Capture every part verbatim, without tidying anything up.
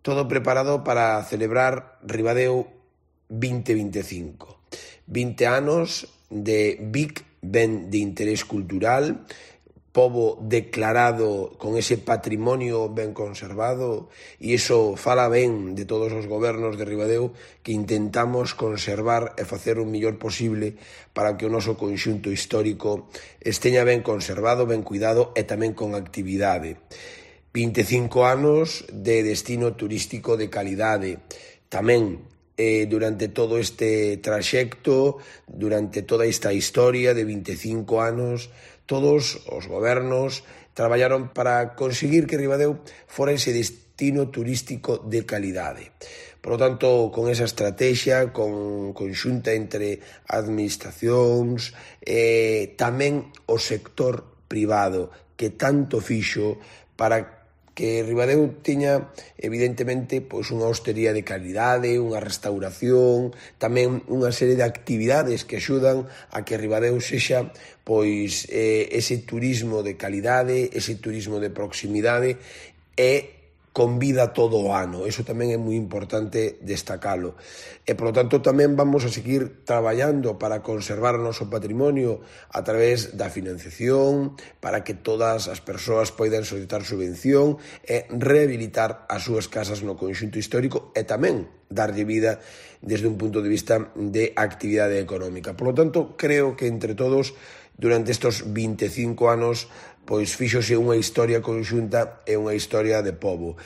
todo preparado para celebrar Ribadeo vinte vinte e cinco. vinte anos de Vic ben de interés cultural, pobo declarado con ese patrimonio ben conservado, e iso fala ben de todos os gobernos de Ribadeo que intentamos conservar e facer o mellor posible para que o noso conxunto histórico esteña ben conservado, ben cuidado e tamén con actividade. vinte e cinco anos de destino turístico de calidade. Tamén eh, durante todo este traxecto, durante toda esta historia de vinte e cinco anos, todos os gobernos traballaron para conseguir que Ribadeo fora ese destino turístico de calidade. Por lo tanto, con esa estrategia, con conxunta entre administracións, eh, tamén o sector privado, que tanto fixo para que Ribadeo tiña, evidentemente, pois unha hostería de calidade, unha restauración, tamén unha serie de actividades que axudan a que Ribadeo sexa pois eh, ese turismo de calidade, ese turismo de proximidade e con vida todo o ano. Eso tamén é moi importante destacalo. E, polo tanto, tamén vamos a seguir traballando para conservar o noso patrimonio a través da financiación, para que todas as persoas poidan solicitar subvención e rehabilitar as súas casas no conxunto histórico e tamén darlle vida desde un punto de vista de actividade económica. Por lo tanto, creo que entre todos, durante estes vinte e cinco anos, pois fíxose unha historia conxunta e unha historia de pobo.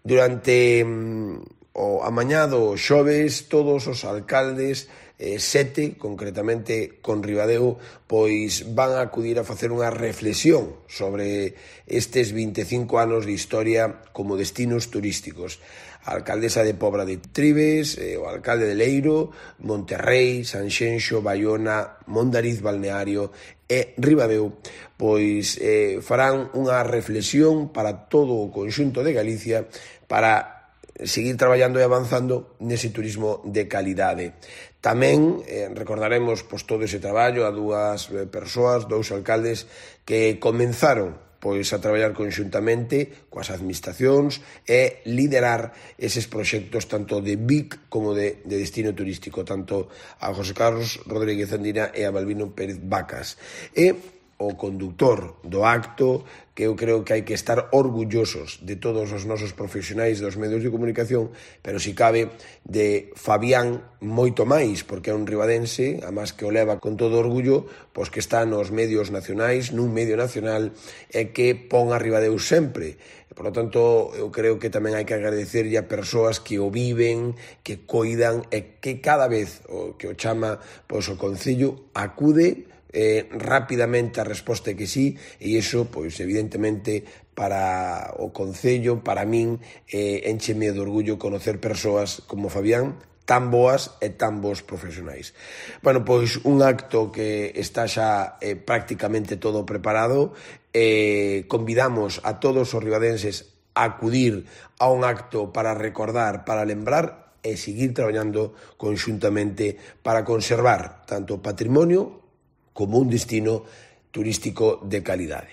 Durante mm, o amañado xoves, todos os alcaldes, eh, sete, concretamente con Ribadeo, pois van a acudir a facer unha reflexión sobre estes vinte e cinco anos de historia como destinos turísticos. A alcaldesa de Pobra de Tribes, eh, o alcalde de Leiro, Monterrei, Sanxenxo, Baiona, Mondariz Balneario e Ribadeo, pois eh, farán unha reflexión para todo o conxunto de Galicia para seguir traballando e avanzando nese turismo de calidade. Tamén eh, recordaremos pois, todo ese traballo a dúas eh, persoas, dous alcaldes que comenzaron pois a traballar conxuntamente coas administracións e liderar eses proxectos tanto de Vic como de, de destino turístico, tanto a José Carlos Rodríguez Andina e a Balbino Pérez Vacas. E o conductor do acto, que eu creo que hai que estar orgullosos de todos os nosos profesionais dos medios de comunicación, pero si cabe de Fabián moito máis, porque é un ribadense, además que o leva con todo orgullo, pois que está nos medios nacionais, nun medio nacional, e que pon a Ribadeo sempre. Por lo tanto, eu creo que tamén hai que agradecerlle a persoas que o viven, que coidan, e que cada vez o que o chama pois, o Concello acude Eh, rapidamente a resposta é que sí, e iso, pois, evidentemente, para o Concello, para min, eh, encheme de orgullo conocer persoas como Fabián, tan boas e tan bons profesionais. Bueno, pois, un acto que está xa eh, prácticamente todo preparado, eh, convidamos a todos os ribadenses a acudir a un acto para recordar, para lembrar e seguir traballando conxuntamente para conservar tanto o patrimonio como un destino turístico de calidade.